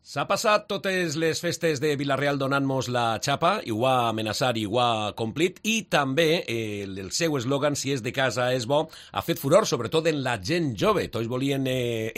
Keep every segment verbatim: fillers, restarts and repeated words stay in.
S'ha passat totes les festes de Vila-real donant-nos la xapa, i ho ha amenaçat i ho ha complit, i també eh, el seu eslògan, si és de casa és bo, ha fet furor, sobretot en la gent jove. Tots volien eh,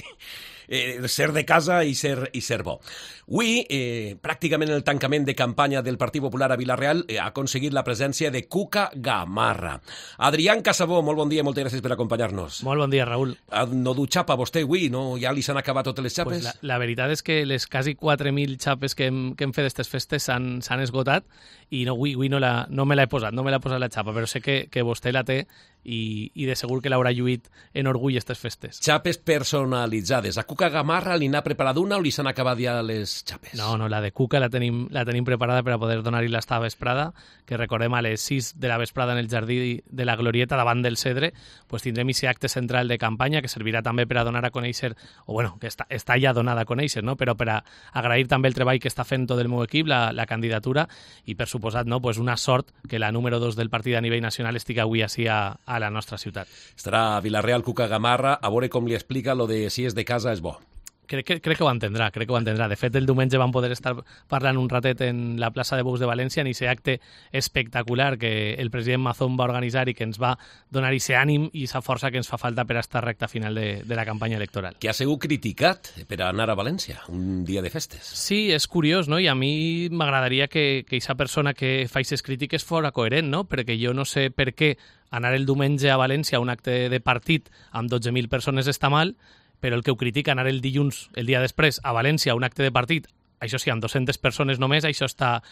eh, ser de casa i ser, i ser bo. Avui, eh, pràcticament el tancament de campanya del Partit Popular a Vila-real eh, ha aconseguit la presència de Cuca Gamarra. Adrián Casabó, molt bon dia, moltes gràcies per acompanyar-nos. Molt bon dia, Raül. No du xapa vostè avui, no? Ja li s'han acabat totes les xapes? Pues la, la veritat és que les quasi quatre mil xapes que hem, que hem fet d'aquestes festes s'han esgotat i no, avui, avui no, la, no me l'he posat, no me l'he posat la xapa, però sé que, que vostè la té i, i de segur que l'haurà lluït en orgull aquestes festes. Xapes personalitzades. A Cuca Gamarra li n'ha preparat una o li s'han acabat ja les xapes? No, no, la de Cuca la tenim, la tenim preparada per a poder donar-hi l'esta vesprada, que recordem a les sis de la vesprada en el jardí de la Glorieta davant del Cedre, pues tindrem aquest acte central de campanya que servirà també per a donar a conèixer, o bueno, que està, està ja donada a conèixer, no? Però per a agrair també el treball que està fent tot el meu equip, la, la candidatura, i per suposat, no, pues una sort que la número dos del partit a nivell nacional estigui avui així a, a la nostra ciutat. Estarà a Vila-real Cuca Gamarra, a veure com li explica lo de si és de casa és bo. Crec que, crec que ho entendrà, crec que ho entendrà. De fet, el diumenge vam poder estar parlant un ratet en la plaça de Bous de València en aquest acte espectacular que el president Mazón va organitzar i que ens va donar aquest ànim i aquesta força que ens fa falta per a estar recta final de, de la campanya electoral. Que ha sigut criticat per a anar a València, un dia de festes. Sí, és curiós, no? I a mi m'agradaria que aquesta persona que fa aquestes crítiques fora coherent, no? Perquè jo no sé per què anar el diumenge a València a un acte de partit amb dotze mil persones està mal, però el que ho critica anar el dilluns, el dia després, a València, a un acte de partit, això sí, amb dues-centes persones només, això està,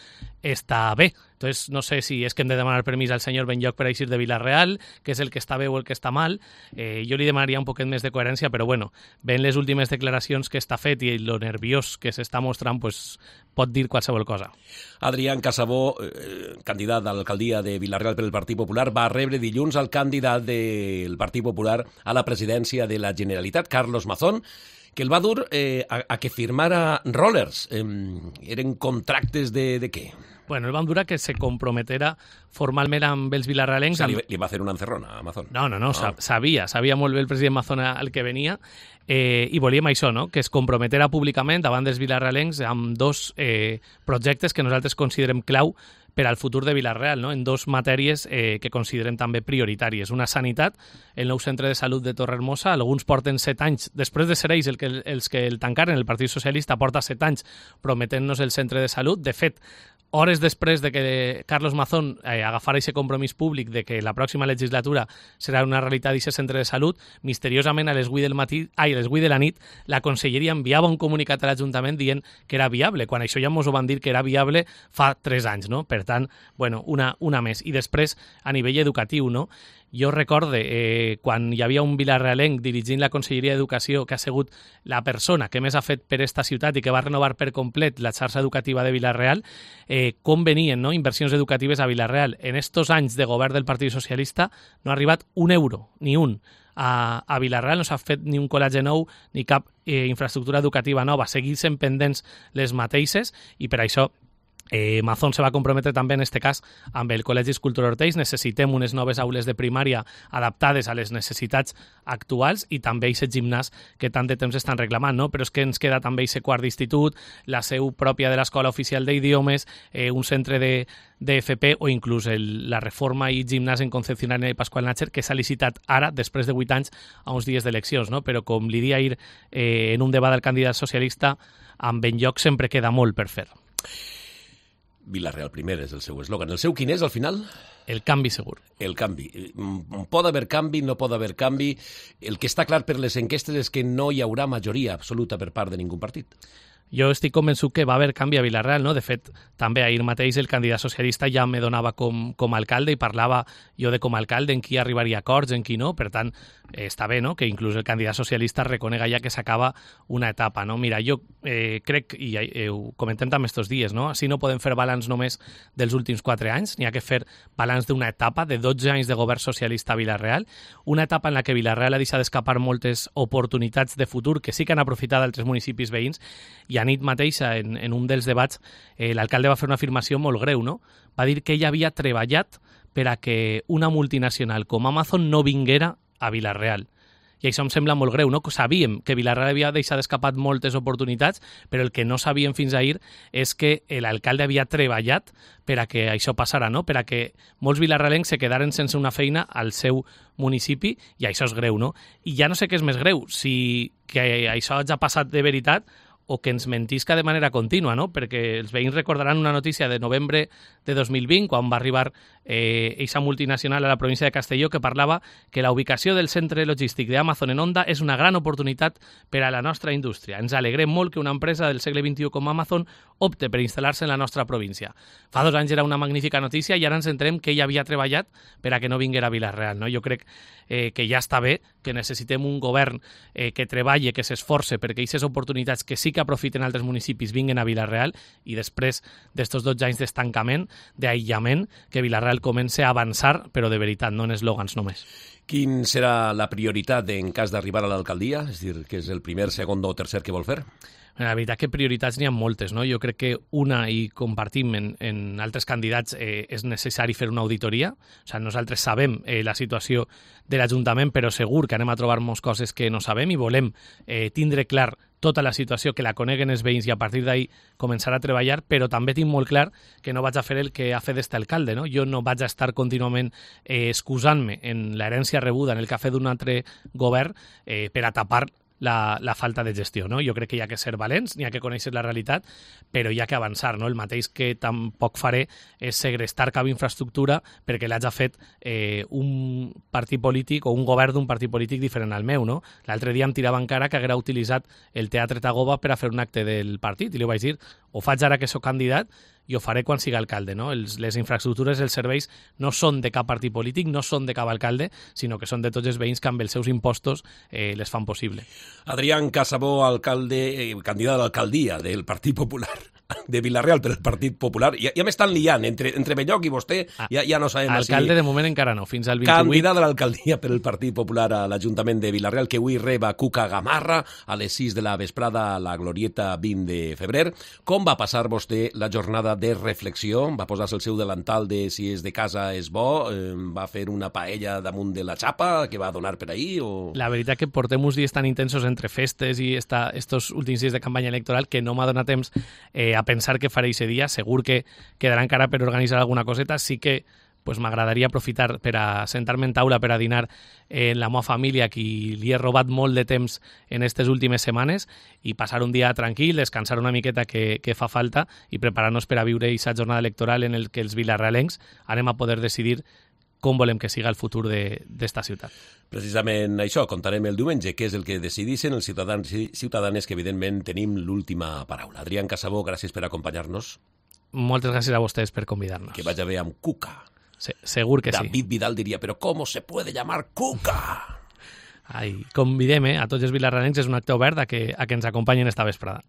està bé. Entonces, no sé si és que hem de demanar permís al senyor Benlloc per a eixir de Vila-real, que és el que està bé o el que està mal. Eh, jo li demanaria un poquet més de coherència, però bueno, ven les últimes declaracions que està fet i lo nerviós que s'està mostrant, pues, pot dir qualsevol cosa. Adrián Casabó, eh, candidat a l'alcaldia de Vila-real per el Partit Popular, va rebre dilluns al candidat del Partit Popular a la presidència de la Generalitat, Carlos Mazón, que el va dur eh, a, a que firmara rollers. Eh, eren contractes de, de què? Bueno, el van dur a que se comprometera formalment amb els vilarrealencs. O sigui, li, li va fer una encerrona a Mazón. No, no, no, no. sabia, sabia molt bé el president Mazón al que venia eh, i volíem això, no? Que es comprometera públicament davant dels vilarrealencs amb dos eh, projectes que nosaltres considerem clau per al futur de Vila-real, no? En dos matèries eh, que considerem també prioritàries. Una, sanitat, el nou centre de salut de Torrehermosa. Alguns porten set anys, després de ser ells el que, els que el tancaren, el Partit Socialista porta set anys prometent-nos el centre de salut. De fet, hores després de que Carlos Mazón eh, agafara aquest compromís públic de que la pròxima legislatura serà una realitat d'aquest centre de salut, misteriosament a les vuit del matí, ai, a les vuit de la nit, la Conselleria enviava un comunicat a l'Ajuntament dient que era viable, quan això ja ens ho van dir que era viable fa tres anys, no? Per tant, bueno, una, una més. I després, a nivell educatiu, no? Jo recorde eh, quan hi havia un vilarrealenc dirigint la Conselleria d'Educació que ha sigut la persona que més ha fet per esta ciutat i que va renovar per complet la xarxa educativa de Vila-real, eh, com venien, no? Inversions educatives a Vila-real. En estos anys de govern del Partit Socialista no ha arribat un euro, ni un. A, a Vila-real no s'ha fet ni un col·legi nou ni cap eh, infraestructura educativa nova. Seguissin pendents les mateixes i per això Eh, Mazón se va comprometre també en aquest cas amb el Col·legi Escultor Ortells. Necessitem unes noves aules de primària adaptades a les necessitats actuals i també aquest gimnàs que tant de temps estan reclamant, no? Però és que ens queda també aquest quart d'institut, la seu pròpia de l'Escola Oficial d'Idiomes, eh, un centre de, de F P o inclús el, la reforma i gimnàs en Concepción de Pascual Nácher que s'ha licitat ara, després de vuit anys, a uns dies d'eleccions, no? Però com li dia ahir eh, en un debat del candidat socialista, amb Benlloc sempre queda molt per fer. Vila-real primer és el seu eslògan. El seu quin és, al final? El canvi segur. El canvi. Pot haver canvi, no pot haver canvi. El que està clar per les enquestes és que no hi haurà majoria absoluta per part de ningú partit. Jo estic convençut que va haver canvi a Vila-real, no? De fet, també ahir mateix el candidat socialista ja me donava com, com a alcalde i parlava jo de com a alcalde en qui arribaria a acords, en qui no. Per tant, eh, està bé, no?, que inclús el candidat socialista reconega ja que s'acaba una etapa, no? Mira, jo eh, crec, i eh, ho comentem també estos dies, no? Així no podem fer balanç només dels últims quatre anys, n'hi ha que fer balanç d'una etapa de dotze anys de govern socialista a Vila-real, una etapa en la que Vila-real ha deixat d'escapar moltes oportunitats de futur que sí que han aprofitat altres municipis veïns. I a nit mateixa, en, en un dels debats, eh, l'alcalde va fer una afirmació molt greu, no? Va dir que ell havia treballat per a que una multinacional com Amazon no vinguera a Vila-real. I això em sembla molt greu, no? Sabíem que Vila-real havia deixat escapat moltes oportunitats, però el que no sabíem fins ahir és que l'alcalde havia treballat per a que això passara, no? Per a que molts vilarrealencs se quedaren sense una feina al seu municipi, i això és greu, no? I ja no sé què és més greu, si que això ja ha passat de veritat o que ens mentisca de manera contínua, no? Perquè els veïns recordaran una notícia de novembre de dos mil vint, quan va arribar eh, eixa multinacional a la província de Castelló, que parlava que la ubicació del centre logístic d'Amazon en Onda és una gran oportunitat per a la nostra indústria. Ens alegrem molt que una empresa del segle vint-i-u com Amazon opte per instal·lar-se en la nostra província. Fa dos anys era una magnífica notícia i ara ens entenem que ell havia treballat per a que no vinguera a Vila-real, no? Jo crec eh, que ja està bé, que necessitem un govern eh, que treballe, que s'esforce perquè aquestes oportunitats que sí que aprofiten altres municipis vinguen a Vila-real, i després d'estos dotze anys d'estancament, d'aïllament, que Vila-real comença a avançar, però de veritat, no en eslògans només. Quin serà la prioritat en cas d'arribar a l'alcaldia? És a dir, que és el primer, segon o tercer que vol fer? La veritat que prioritats n'hi ha moltes, no? Jo crec que una, i compartim en, en altres candidats, eh, és necessari fer una auditoria. O sigui, nosaltres sabem eh, la situació de l'Ajuntament, però segur que anem a trobar moltes coses que no sabem i volem eh, tindre clar tota la situació, que la coneguen els veïns i a partir d'ahir començar a treballar, però també tinc molt clar que no vaig a fer el que ha fet este alcalde, no? Jo no vaig a estar contínuament eh, excusant-me en l'herència rebuda, en el que ha fet d'un altre govern eh, per a tapar La, la falta de gestió, no? Jo crec que hi ha que ser valents, n'hi ha que conèixer la realitat, però hi ha que avançar, no? El mateix que tampoc faré és segrestar cap infraestructura perquè l'haig fet eh, un partit polític o un govern d'un partit polític diferent al meu, no? L'altre dia em tirava encara que haguera utilitzat el Teatre Tagoba per a fer un acte del partit, i li vaig dir, ho faig ara que sóc candidat i ho faré quan sigui alcalde, no? Els, les infraestructures, els serveis no són de cap partit polític, no són de cap alcalde, sinó que són de tots els veïns que amb els seus impostos eh, les fan possible. Adrián Casabó, alcalde, eh, candidat a l'alcaldia del Partit Popular de Vila-real per el Partit Popular. Ja, ja m'estan liant, entre, entre Belloc i vostè, ah, ja, ja no sabem... Alcalde si... de moment encara no, fins al vint-i-vuit... Candidat a l'alcaldia per el Partit Popular a l'Ajuntament de Vila-real, que avui reba Cuca Gamarra a les sis de la vesprada a la Glorieta vint de febrer. Com va passar vostè la jornada de reflexió? Va posar-se el seu delantal de si és de casa és bo? Eh, va fer una paella damunt de la xapa que va donar per ahir? O... La veritat que portem uns dies tan intensos entre festes i esta, estos últims dies de campanya electoral que no m'ha donat temps eh, a pensar què faré aquest dia. Segur que quedarà encara per organitzar alguna coseta. Sí que pues, m'agradaria aprofitar per a sentar-me en taula per a dinar en la meva família, qui li he robat molt de temps en aquestes últimes setmanes, i passar un dia tranquil, descansar una miqueta que, que fa falta i preparar-nos per a viure aquesta jornada electoral en el que els vilarrealencs anem a poder decidir com volem que siga el futur d'esta ciutat. Precisament això, contarem el diumenge, què és el que decidissin els ciutadans i ciutadanes, que evidentment tenim l'última paraula. Adrián Casabó, gràcies per acompanyar-nos. Moltes gràcies a vostès per convidar-nos. Que vagi bé amb Cuca. Sí, segur que David sí. David Vidal diria, però com se puede llamar Cuca? Ai, convidem eh, a tots els vilarrealencs, és un acte obert a que, a que ens acompanyen esta vesprada.